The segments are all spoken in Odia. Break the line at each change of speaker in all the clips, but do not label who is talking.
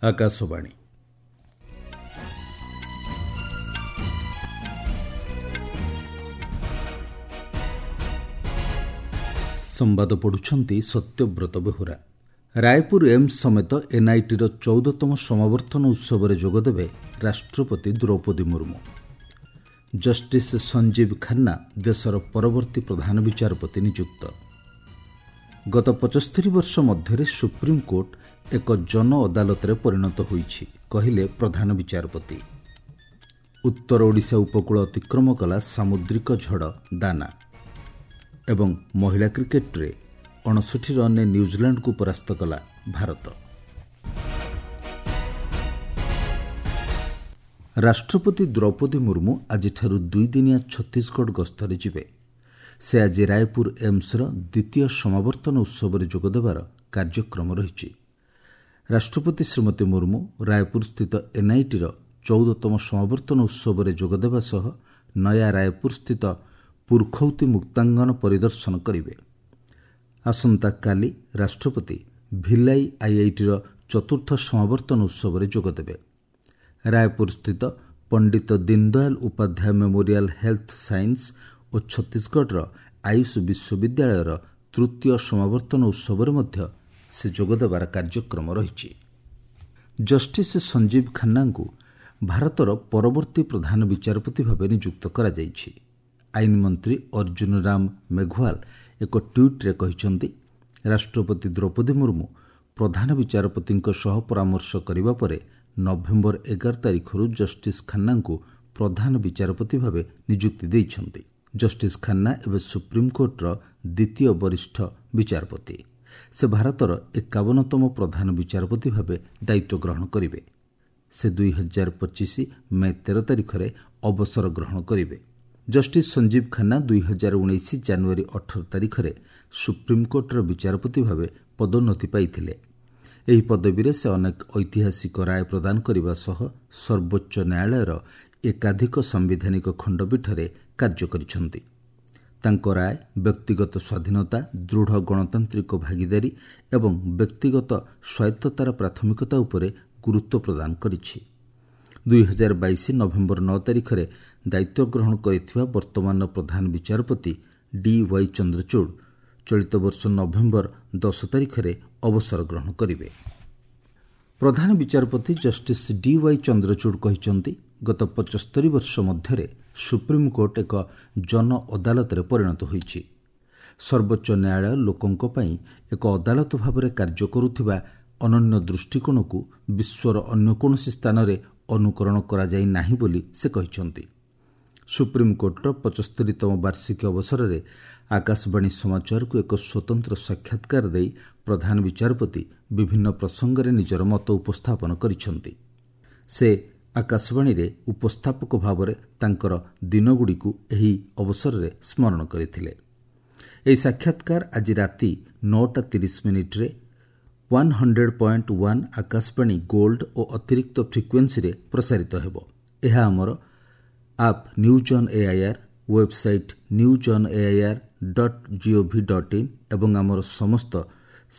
ଆକାଶବାଣୀ। ସମ୍ବାଦ ପଢ଼ୁଛନ୍ତି ସତ୍ୟବ୍ରତ ବେହୁରା। ରାୟପୁର ଏମ୍ସ ସମେତ ଏନ୍ଆଇଟିର 14ତମ ସମାବର୍ତ୍ତନ ଉତ୍ସବରେ ଯୋଗଦେବେ ରାଷ୍ଟ୍ରପତି ଦ୍ରୌପଦୀ ମୁର୍ମୁ। ଜଷ୍ଟିସ୍ ସଞ୍ଜୀବ ଖାନ୍ନା ଦେଶର ପରବର୍ତ୍ତୀ ପ୍ରଧାନ ବିଚାରପତି ନିଯୁକ୍ତ। ଗତ 75 ବର୍ଷ ମଧ୍ୟରେ ସୁପ୍ରିମକୋର୍ଟ ଏକ ଜନ ଅଦାଲତରେ ପରିଣତ ହୋଇଛି, କହିଲେ ପ୍ରଧାନ ବିଚାରପତି। ଉତ୍ତର ଓଡ଼ିଶା ଉପକୂଳ ଅତିକ୍ରମ କଲା ସାମୁଦ୍ରିକ ଝଡ଼ ଦାନା। ଏବଂ ମହିଳା କ୍ରିକେଟରେ 59 ରନ୍ରେ ନ୍ୟୁଜିଲାଣ୍ଡକୁ ପରାସ୍ତ କଲା ଭାରତ। ରାଷ୍ଟ୍ରପତି ଦ୍ରୌପଦୀ ମୁର୍ମୁ ଆଜିଠାରୁ ଦୁଇଦିନିଆ ଛତିଶଗଡ଼ ଗସ୍ତରେ ଯିବେ। ସେ ଆଜି ରାୟପୁର ଏମ୍ସର ଦ୍ୱିତୀୟ ସମାବର୍ତ୍ତନ ଉତ୍ସବରେ ଯୋଗଦେବାର କାର୍ଯ୍ୟକ୍ରମ ରହିଛି। ରାଷ୍ଟ୍ରପତି ଶ୍ରୀମତୀ ମୁର୍ମୁ ରାୟପୁରସ୍ଥିତ ଏନ୍ଆଇଟିର 14ତମ ସମାବର୍ତ୍ତନ ଉତ୍ସବରେ ଯୋଗଦେବା ସହ ନୟା ରାୟପୁରସ୍ଥିତ ପୁରଖୌତି ମୁକ୍ତାଙ୍ଗନ ପରିଦର୍ଶନ କରିବେ। ଆସନ୍ତାକାଲି ରାଷ୍ଟ୍ରପତି ଭିଲାଇ ଆଇଆଇଟିର ଚତୁର୍ଥ ସମାବର୍ତ୍ତନ ଉତ୍ସବରେ ଯୋଗଦେବେ। ରାୟପୁରସ୍ଥିତ Pandit Deendayal Upadhyay memorial health science ଓ ଛତିଶଗଡ଼ର ଆୟୁଷ ବିଶ୍ୱବିଦ୍ୟାଳୟର ତୃତୀୟ ସମାବର୍ତ୍ତନ ଉତ୍ସବରେ ମଧ୍ୟ ସେ ଯୋଗଦେବାର କାର୍ଯ୍ୟକ୍ରମ ରହିଛି। ଜଷ୍ଟିସ୍ ସଞ୍ଜୀବ ଖାନ୍ନାଙ୍କୁ ଭାରତର ପରବର୍ତ୍ତୀ ପ୍ରଧାନ ବିଚାରପତି ଭାବେ ନିଯୁକ୍ତ କରାଯାଇଛି। ଆଇନ ମନ୍ତ୍ରୀ ଅର୍ଜୁନ ରାମ ମେଘୱାଲ ଏକ ଟ୍ୱିଟ୍ରେ କହିଛନ୍ତି, ରାଷ୍ଟ୍ରପତି ଦ୍ରୌପଦୀ ମୁର୍ମୁ ପ୍ରଧାନ ବିଚାରପତିଙ୍କ ସହ ପରାମର୍ଶ କରିବା ପରେ ନଭେମ୍ବର 11 ତାରିଖରୁ ଜଷ୍ଟିସ୍ ଖାନ୍ନାଙ୍କୁ ପ୍ରଧାନ ବିଚାରପତି ଭାବେ ନିଯୁକ୍ତି ଦେଇଛନ୍ତି। ଜଷ୍ଟିସ୍ ଖାନ୍ନା ଏବେ ସୁପ୍ରିମକୋର୍ଟର ଦ୍ୱିତୀୟ ବରିଷ୍ଠ ବିଚାରପତି। ସେ ଭାରତର 51ତମ ପ୍ରଧାନ ବିଚାରପତି ଭାବେ ଦାୟିତ୍ୱ ଗ୍ରହଣ କରିବେ। ସେ 2025 ମେ 13 ତାରିଖରେ ଅବସର ଗ୍ରହଣ କରିବେ। ଜଷ୍ଟିସ୍ ସଞ୍ଜୀବ ଖାନ୍ନା 2019 ଜାନୁଆରୀ 18 ତାରିଖରେ ସୁପ୍ରିମକୋର୍ଟର ବିଚାରପତି ଭାବେ ପଦୋନ୍ନତି ପାଇଥିଲେ। ଏହି ପଦବୀରେ ସେ ଅନେକ ଐତିହାସିକ ରାୟ ପ୍ରଦାନ କରିବା ସହ ସର୍ବୋଚ୍ଚ ନ୍ୟାୟାଳୟର ଏକାଧିକ ସାମ୍ବିଧାନିକ ଖଣ୍ଡପୀଠରେ କାର୍ଯ୍ୟ କରିଛନ୍ତି। ତାଙ୍କ ରାୟ ବ୍ୟକ୍ତିଗତ ସ୍ୱାଧୀନତା, ଦୃଢ଼ ଗଣତାନ୍ତ୍ରିକ ଭାଗିଦାରୀ ଏବଂ ବ୍ୟକ୍ତିଗତ ସ୍ୱାୟତ୍ତତାର ପ୍ରାଥମିକତା ଉପରେ ଗୁରୁତ୍ୱ ପ୍ରଦାନ କରିଛି। 2022 ନଭେମ୍ବର 9 ତାରିଖରେ ଦାୟିତ୍ୱ ଗ୍ରହଣ କରିଥିବା ବର୍ତ୍ତମାନର ପ୍ରଧାନ ବିଚାରପତି ଡି ୱାଇ ଚନ୍ଦ୍ରଚୂଡ଼ ଚଳିତ ବର୍ଷ ନଭେମ୍ବର 10 ତାରିଖରେ ଅବସର ଗ୍ରହଣ କରିବେ। ପ୍ରଧାନ ବିଚାରପତି ଜଷ୍ଟିସ୍ ଡି ୱାଇ ଚନ୍ଦ୍ରଚୂଡ଼ କହିଛନ୍ତି, ଗତ 75 ବର୍ଷ ମଧ୍ୟରେ ସୁପ୍ରିମକୋର୍ଟ ଏକ ଜନ ଅଦାଲତରେ ପରିଣତ ହୋଇଛି। ସର୍ବୋଚ୍ଚ ନ୍ୟାୟାଳୟ ଲୋକଙ୍କ ପାଇଁ ଏକ ଅଦାଲତ ଭାବରେ କାର୍ଯ୍ୟ କରୁଥିବା ଅନନ୍ୟ ଦୃଷ୍ଟିକୋଣକୁ ବିଶ୍ୱର ଅନ୍ୟ କୌଣସି ସ୍ଥାନରେ ଅନୁକରଣ କରାଯାଇ ନାହିଁ ବୋଲି ସେ କହିଛନ୍ତି। ସୁପ୍ରିମକୋର୍ଟର 75ତମ ବାର୍ଷିକୀ ଅବସରରେ ଆକାଶବାଣୀ ସମାଚାରକୁ ଏକ ସ୍ୱତନ୍ତ୍ର ସାକ୍ଷାତକାର ଦେଇ ପ୍ରଧାନ ବିଚାରପତି ବିଭିନ୍ନ ପ୍ରସଙ୍ଗରେ ନିଜର ମତ ଉପସ୍ଥାପନ କରିଛନ୍ତି। ସେ ଆକାଶବାଣୀରେ ଉପସ୍ଥାପକ ଭାବରେ ତାଙ୍କର ଦିନଗୁଡ଼ିକୁ ଏହି ଅବସରରେ ସ୍ମରଣ କରିଥିଲେ। ଏହି ସାକ୍ଷାତକାର ଆଜି ରାତି 9ଟା 30 ମିନିଟ୍ରେ 100.1 ଆକାଶବାଣୀ ଗୋଲ୍ଡ ଓ ଅତିରିକ୍ତ ଫ୍ରିକ୍ୱେନ୍ସିରେ ପ୍ରସାରିତ ହେବ। ଏହା ଆମର app news on AIR, website newsonair.gov.in ଏବଂ ଆମର ସମସ୍ତ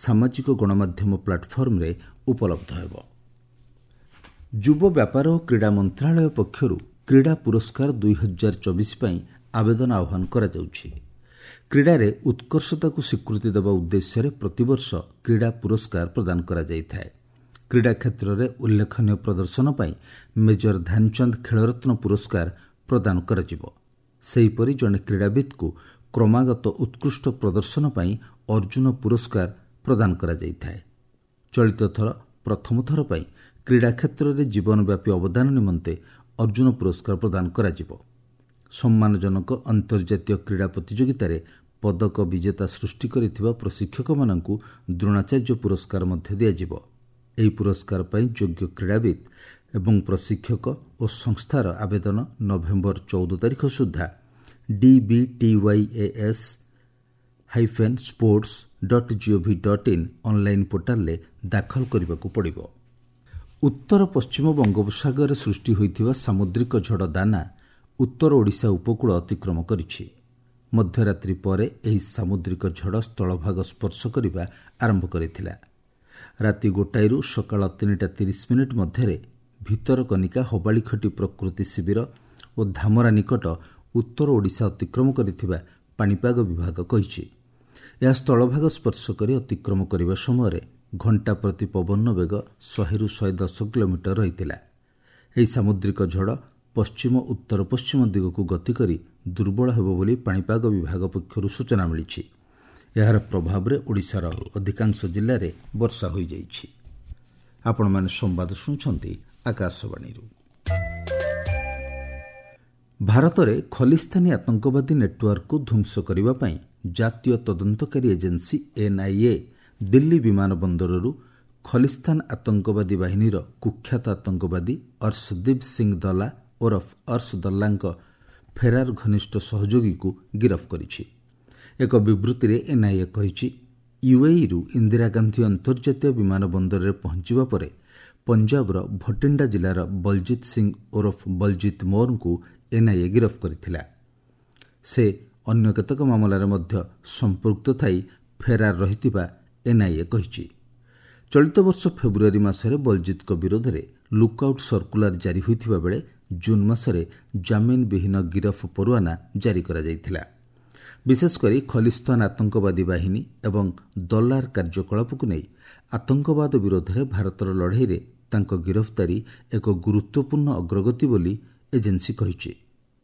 ସାମାଜିକ ଗଣମାଧ୍ୟମ ପ୍ଲାଟଫର୍ମରେ ଉପଲବ୍ଧ ହେବ। ଯୁବ ବ୍ୟାପାର ଓ କ୍ରୀଡ଼ା ମନ୍ତ୍ରଣାଳୟ ପକ୍ଷରୁ କ୍ରୀଡ଼ା ପୁରସ୍କାର 2024 ପାଇଁ ଆବେଦନ ଆହ୍ୱାନ କରାଯାଉଛି। କ୍ରୀଡ଼ାରେ ଉତ୍କର୍ଷତାକୁ ସ୍ୱୀକୃତି ଦେବା ଉଦ୍ଦେଶ୍ୟରେ ପ୍ରତିବର୍ଷ କ୍ରୀଡ଼ା ପୁରସ୍କାର ପ୍ରଦାନ କରାଯାଇଥାଏ। କ୍ରୀଡ଼ା କ୍ଷେତ୍ରରେ ଉଲ୍ଲେଖନୀୟ ପ୍ରଦର୍ଶନ ପାଇଁ ମେଜର ଧ୍ୟାନଚାନ୍ଦ ଖେଳରତ୍ନ ପୁରସ୍କାର ପ୍ରଦାନ କରାଯିବ। ସେହିପରି ଜଣେ କ୍ରୀଡ଼ାବିତ୍କୁ କ୍ରମାଗତ ଉତ୍କୃଷ୍ଟ ପ୍ରଦର୍ଶନ ପାଇଁ ଅର୍ଜୁନ ପୁରସ୍କାର ପ୍ରଦାନ କରାଯାଇଥାଏ। ଚଳିତ ଥର ପ୍ରଥମ ଥର ପାଇଁ କ୍ରୀଡ଼ା କ୍ଷେତ୍ରରେ ଜୀବନବ୍ୟାପୀ ଅବଦାନ ନିମନ୍ତେ ଅର୍ଜୁନ ପୁରସ୍କାର ପ୍ରଦାନ କରାଯିବ। ସମ୍ମାନଜନକ ଅନ୍ତର୍ଜାତୀୟ କ୍ରୀଡ଼ା ପ୍ରତିଯୋଗିତାରେ ପଦକ ବିଜେତା ସୃଷ୍ଟି କରିଥିବା ପ୍ରଶିକ୍ଷକମାନଙ୍କୁ ଦ୍ରୋଣାଚାର୍ଯ୍ୟ ପୁରସ୍କାର ମଧ୍ୟ ଦିଆଯିବ। ଏହି ପୁରସ୍କାର ପାଇଁ ଯୋଗ୍ୟ କ୍ରୀଡ଼ାବିତ୍ ଏବଂ ପ୍ରଶିକ୍ଷକ ଓ ସଂସ୍ଥାର ଆବେଦନ ନଭେମ୍ବର 14 ତାରିଖ ସୁଦ୍ଧା DBTYAS-sports.gov.in online ପୋର୍ଟାଲରେ ଦାଖଲ କରିବାକୁ ପଡ଼ିବ। ଉତ୍ତର ପଶ୍ଚିମ ବଙ୍ଗୋପସାଗରରେ ସୃଷ୍ଟି ହୋଇଥିବା ସାମୁଦ୍ରିକ ଝଡ଼ ଦାନା ଉତ୍ତର ଓଡ଼ିଶା ଉପକୂଳ ଅତିକ୍ରମ କରିଛି। ମଧ୍ୟରାତ୍ରି ପରେ ଏହି ସାମୁଦ୍ରିକ ଝଡ଼ ସ୍ଥଳଭାଗ ସ୍ପର୍ଶ କରିବା ଆରମ୍ଭ କରିଥିଲା। ରାତି 1ଟାରୁ ସକାଳ 3ଟା 30 ମଧ୍ୟରେ ଭିତରକନିକା, ହବାଳିଖଟି ପ୍ରକୃତି ଶିବିର ଓ ଧାମରା ନିକଟ ଉତ୍ତର ଓଡ଼ିଶା ଅତିକ୍ରମ କରିଥିବା ପାଣିପାଗ ବିଭାଗ କହିଛି। ଏହା ସ୍ଥଳଭାଗ ସ୍ପର୍ଶ କରି ଅତିକ୍ରମ କରିବା ସମୟରେ ଘଣ୍ଟା ପ୍ରତି ପବନ ବେଗ 100ରୁ 110 କିଲୋମିଟର ରହିଥିଲା। ଏହି ସାମୁଦ୍ରିକ ଝଡ଼ ପଶ୍ଚିମ ଉତ୍ତର ପଶ୍ଚିମ ଦିଗକୁ ଗତି କରି ଦୁର୍ବଳ ହେବ ବୋଲି ପାଣିପାଗ ବିଭାଗ ପକ୍ଷରୁ ସୂଚନା ମିଳିଛି। ଏହାର ପ୍ରଭାବରେ ଓଡ଼ିଶାର ଅଧିକାଂଶ ଜିଲ୍ଲାରେ ବର୍ଷା ହୋଇଯାଇଛି। ଆପଣମାନେ ସମ୍ବାଦ ଶୁଣୁଛନ୍ତି ଆକାଶବାଣୀରୁ। ଭାରତରେ ଖଲିସ୍ତାନୀ ଆତଙ୍କବାଦୀ ନେଟୱାର୍କକୁ ଧ୍ୱଂସ କରିବା ପାଇଁ ଜାତୀୟ ତଦନ୍ତକାରୀ ଏଜେନ୍ସି ଏନ୍ଆଇଏ ଦିଲ୍ଲୀ ବିମାନ ବନ୍ଦରରୁ ଖଲିସ୍ତାନ ଆତଙ୍କବାଦୀ ବାହିନୀର କୁଖ୍ୟାତ ଆତଙ୍କବାଦୀ ଅର୍ଶଦୀପ ସିଂ ଦଲା ଓରଫ ଅର୍ଶ ଦଲ୍ଲାଙ୍କ ଫେରାର ଘନିଷ୍ଠ ସହଯୋଗୀକୁ ଗିରଫ କରିଛି। ଏକ ବିବୃତ୍ତିରେ ଏନ୍ଆଇଏ କହିଛି, ୟୁଏଇରୁ ଇନ୍ଦିରା ଗାନ୍ଧୀ ଅନ୍ତର୍ଜାତୀୟ ବିମାନ ବନ୍ଦରରେ ପହଞ୍ଚିବା ପରେ ପଞ୍ଜାବର ଭଟିଣ୍ଡା ଜିଲ୍ଲାର ବଲଜିତ ସିଂ ଓରଫ ବଲଜିତ ମୋରଙ୍କୁ ଏନ୍ଆଇଏ ଗିରଫ କରିଥିଲା। ସେ ଅନ୍ୟ କେତେକ ମାମଲାରେ ମଧ୍ୟ ସମ୍ପୃକ୍ତ ଥାଇ ଫେରାର ରହିଥିବା ଏନ୍ଆଇଏ କହିଛି। ଚଳିତ ବର୍ଷ ଫେବୃଆରୀ ମାସରେ ବଲଜିତଙ୍କ ବିରୋଧରେ ଲୁକ୍ଆଉଟ୍ ସର୍କୁଲାର ଜାରି ହୋଇଥିବା ବେଳେ ଜୁନ୍ ମାସରେ ଜାମିନ ବିହୀନ ଗିରଫ ପରୁଆନା ଜାରି କରାଯାଇଥିଲା। ବିଶେଷକରି ଖଲିସ୍ତାନ ଆତଙ୍କବାଦୀ ବାହିନୀ ଏବଂ ଦଲାର କାର୍ଯ୍ୟକଳାପକୁ ନେଇ ଆତଙ୍କବାଦ ବିରୋଧରେ ଭାରତର ଲଢ଼େଇରେ ତାଙ୍କ ଗିରଫଦାରୀ ଏକ ଗୁରୁତ୍ୱପୂର୍ଣ୍ଣ ଅଗ୍ରଗତି ବୋଲି ଏଜେନ୍ସି କହିଛି।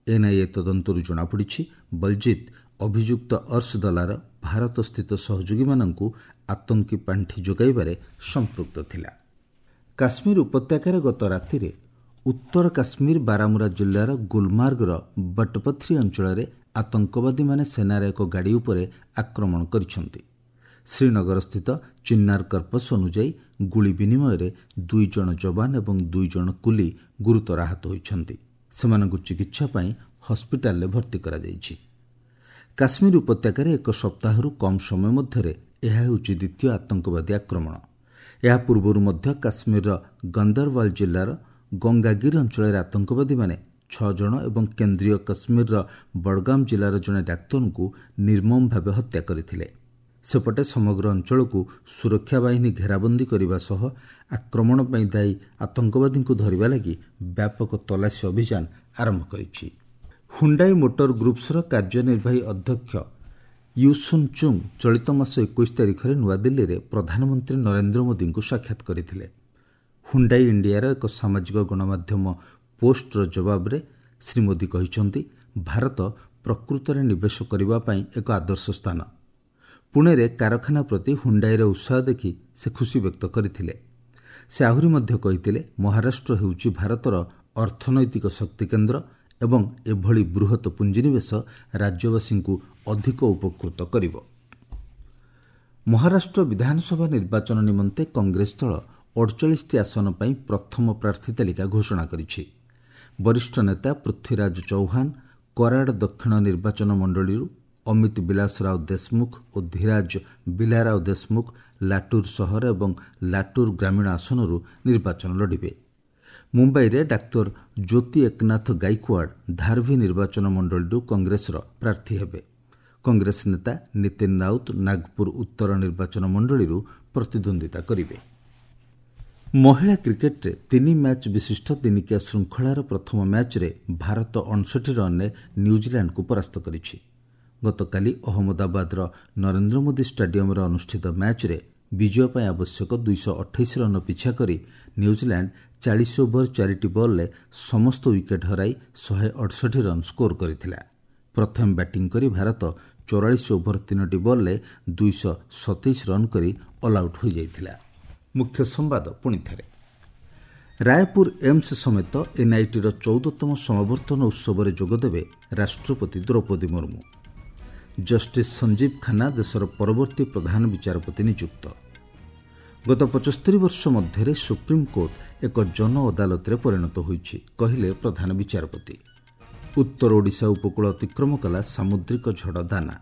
ଏନ୍ଆଇଏ ତଦନ୍ତରୁ ଜଣାପଡ଼ିଛି, ବଲଜିତ ଅଭିଯୁକ୍ତ ଅର୍ଶ ଦଲାର ଭାରତସ୍ଥିତ ସହଯୋଗୀମାନଙ୍କୁ ଆତଙ୍କୀ ପାଣ୍ଠି ଯୋଗାଇବାରେ ସମ୍ପୃକ୍ତ ଥିଲା। କାଶ୍ମୀର ଉପତ୍ୟକାରେ ଗତ ରାତିରେ ଉତ୍ତର କାଶ୍ମୀର ବାରାମୁରା ଜିଲ୍ଲାର ଗୁଲମାର୍ଗର ବଟପଥ୍ରୀ ଅଞ୍ଚଳରେ ଆତଙ୍କବାଦୀମାନେ ସେନାର ଏକ ଗାଡ଼ି ଉପରେ ଆକ୍ରମଣ କରିଛନ୍ତି। ଶ୍ରୀନଗରସ୍ଥିତ ଚିନ୍ନାର କର୍ପସ୍ ଅନୁଯାୟୀ ଗୁଳି ବିନିମୟରେ 2 ଜଣ ଯବାନ ଏବଂ 2 ଜଣ କୁଲି ଗୁରୁତର ଆହତ ହୋଇଛନ୍ତି। ସେମାନଙ୍କୁ ଚିକିତ୍ସା ପାଇଁ ହସ୍ପିଟାଲରେ ଭର୍ତ୍ତି କରାଯାଇଛି। କାଶ୍ମୀର ଉପତ୍ୟକାରେ ଏକ ସପ୍ତାହରୁ କମ୍ ସମୟ ମଧ୍ୟରେ ଏହା ହେଉଛି ଦ୍ୱିତୀୟ ଆତଙ୍କବାଦୀ ଆକ୍ରମଣ। ଏହା ପୂର୍ବରୁ ମଧ୍ୟ କାଶ୍ମୀରର ଗନ୍ଦରୱାଲ ଜିଲ୍ଲାର ଗଙ୍ଗାଗିରି ଅଞ୍ଚଳରେ ଆତଙ୍କବାଦୀମାନେ 6 ଜଣ ଏବଂ କେନ୍ଦ୍ରୀୟ କାଶ୍ମୀରର ବଡ଼ଗାମ ଜିଲ୍ଲାର ଜଣେ ଡାକ୍ତରଙ୍କୁ ନିର୍ମମ ଭାବେ ହତ୍ୟା କରିଥିଲେ। ସେପଟେ ସମଗ୍ର ଅଞ୍ଚଳକୁ ସୁରକ୍ଷା ବାହିନୀ ଘେରାବନ୍ଦୀ କରିବା ସହ ଆକ୍ରମଣ ପାଇଁ ଦାୟୀ ଆତଙ୍କବାଦୀଙ୍କୁ ଧରିବା ଲାଗି ବ୍ୟାପକ ତଲାସୀ ଅଭିଯାନ ଆରମ୍ଭ କରିଛି। ହୁଣ୍ଡାଇ ମୋଟର ଗ୍ରୁପ୍ସର କାର୍ଯ୍ୟନିର୍ବାହୀ ଅଧ୍ୟକ୍ଷ ୟୁସୁନ୍ ଚୁଙ୍ଗ ଚଳିତ ମାସ 21 ତାରିଖରେ ନୂଆଦିଲ୍ଲୀରେ ପ୍ରଧାନମନ୍ତ୍ରୀ ନରେନ୍ଦ୍ର ମୋଦିଙ୍କୁ ସାକ୍ଷାତ କରିଥିଲେ। ହୁଣ୍ଡାଇ ଇଣ୍ଡିଆର ଏକ ସାମାଜିକ ଗଣମାଧ୍ୟମ ପୋଷ୍ଟର ଜବାବରେ ଶ୍ରୀ ମୋଦି କହିଛନ୍ତି, ଭାରତ ପ୍ରକୃତରେ ନିବେଶ କରିବା ପାଇଁ ଏକ ଆଦର୍ଶ ସ୍ଥାନ। ପୁଣେରେ କାରଖାନା ପ୍ରତି ହୁଣ୍ଡାଇର ଉତ୍ସାହ ଦେଖି ସେ ଖୁସି ବ୍ୟକ୍ତ କରିଥିଲେ। ସେ ଆହୁରି ମଧ୍ୟ କହିଥିଲେ, ମହାରାଷ୍ଟ୍ର ହେଉଛି ଭାରତର ଅର୍ଥନୈତିକ ଶକ୍ତିକେନ୍ଦ୍ର ଏବଂ ଏଭଳି ବୃହତ ପୁଞ୍ଜିନିବେଶ ରାଜ୍ୟବାସୀଙ୍କୁ ଅଧିକ ଉପକୃତ କରିବ। ମହାରାଷ୍ଟ୍ର ବିଧାନସଭା ନିର୍ବାଚନ ନିମନ୍ତେ କଂଗ୍ରେସ ଦଳ 48ଟି ଆସନ ପାଇଁ ପ୍ରଥମ ପ୍ରାର୍ଥୀ ତାଲିକା ଘୋଷଣା କରିଛି। ବରିଷ୍ଠ ନେତା ପୃଥ୍ୱୀରାଜ ଚୌହାନ କରାଡ଼ ଦକ୍ଷିଣ ନିର୍ବାଚନ ମଣ୍ଡଳୀରୁ, ଅମିତ ବିଲାସରାଓ ଦେଶମୁଖ ଓ ଧୀରାଜ ବିଲାରାଓ ଦେଶମୁଖ ଲାଟୁର ସହର ଏବଂ ଲାଟୁର ଗ୍ରାମୀଣ ଆସନରୁ ନିର୍ବାଚନ ଲଢ଼ିବେ। ମୁମ୍ବାଇରେ ଡାକ୍ତର ଜ୍ୟୋତି ଏକନାଥ ଗାଇକୱାଡ଼ ଧାରଭି ନିର୍ବାଚନ ମଣ୍ଡଳୀରୁ କଂଗ୍ରେସର ପ୍ରାର୍ଥୀ ହେବେ। କଂଗ୍ରେସ ନେତା ନୀତିନ ରାଉତ ନାଗପୁର ଉତ୍ତର ନିର୍ବାଚନ ମଣ୍ଡଳୀରୁ ପ୍ରତିଦ୍ୱନ୍ଦ୍ୱିତା କରିବେ। ମହିଳା କ୍ରିକେଟରେ ତିନି ମ୍ୟାଚ୍ ବିଶିଷ୍ଟ ଦିନିକିଆ ଶୃଙ୍ଖଳାର ପ୍ରଥମ ମ୍ୟାଚ୍ରେ ଭାରତ 59 ରନ୍ରେ ନ୍ୟୁଜିଲାଣ୍ଡକୁ ପରାସ୍ତ କରିଛି। ଗତକାଲି ଅହମ୍ମଦାବାଦର ନରେନ୍ଦ୍ର ମୋଦି ଷ୍ଟାଡିୟମରେ ଅନୁଷ୍ଠିତ ମ୍ୟାଚ୍ରେ ବିଜୟ ପାଇଁ ଆବଶ୍ୟକ 228 ରନ୍ ପିଛା କରି ନ୍ୟୁଜିଲାଣ୍ଡ 40 ଓଭର ଚାରିଟି ବଲ୍ରେ ସମସ୍ତ ୱିକେଟ୍ ହରାଇ 168 ରନ୍ ସ୍କୋର କରିଥିଲା। ପ୍ରଥମେ ବ୍ୟାଟିଂ କରି ଭାରତ 44 ଓଭର ତିନୋଟି ବଲ୍ରେ 227 ରନ୍ କରି ଅଲ୍ଆଉଟ୍ ହୋଇଯାଇଥିଲା। ମୁଖ୍ୟ ସମ୍ବାଦ ପୁଣିଥରେ। ରାୟପୁର ଏମ୍ସ ସମେତ ଏନ୍ଆଇଟିର 14ତମ ସମାବର୍ତ୍ତନ ଉତ୍ସବରେ ଯୋଗଦେବେ ରାଷ୍ଟ୍ରପତି ଦ୍ରୌପଦୀ ମୁର୍ମୁ। ଜଷ୍ଟିସ୍ ସଞ୍ଜୀବ ଖାନ୍ନା ଦେଶର ପରବର୍ତ୍ତୀ ପ୍ରଧାନ ବିଚାରପତି ନିଯୁକ୍ତ। ଗତ 75 ବର୍ଷ ମଧ୍ୟରେ ସୁପ୍ରିମକୋର୍ଟ ଏକ ଜନ ଅଦାଲତରେ ପରିଣତ ହୋଇଛି, କହିଲେ ପ୍ରଧାନ ବିଚାରପତି। ଉତ୍ତର ଓଡ଼ିଶା ଉପକୂଳ ଅତିକ୍ରମ କଲା ସାମୁଦ୍ରିକ ଝଡ଼ ଦାନା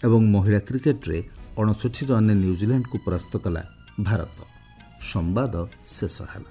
ଏବଂ ମହିଳା କ୍ରିକେଟରେ 59 ରନ୍ରେ ନ୍ୟୁଜିଲାଣ୍ଡକୁ ପରାସ୍ତ କଲା ଭାରତ। ସମ୍ବାଦ ଶେଷ ହେଲା।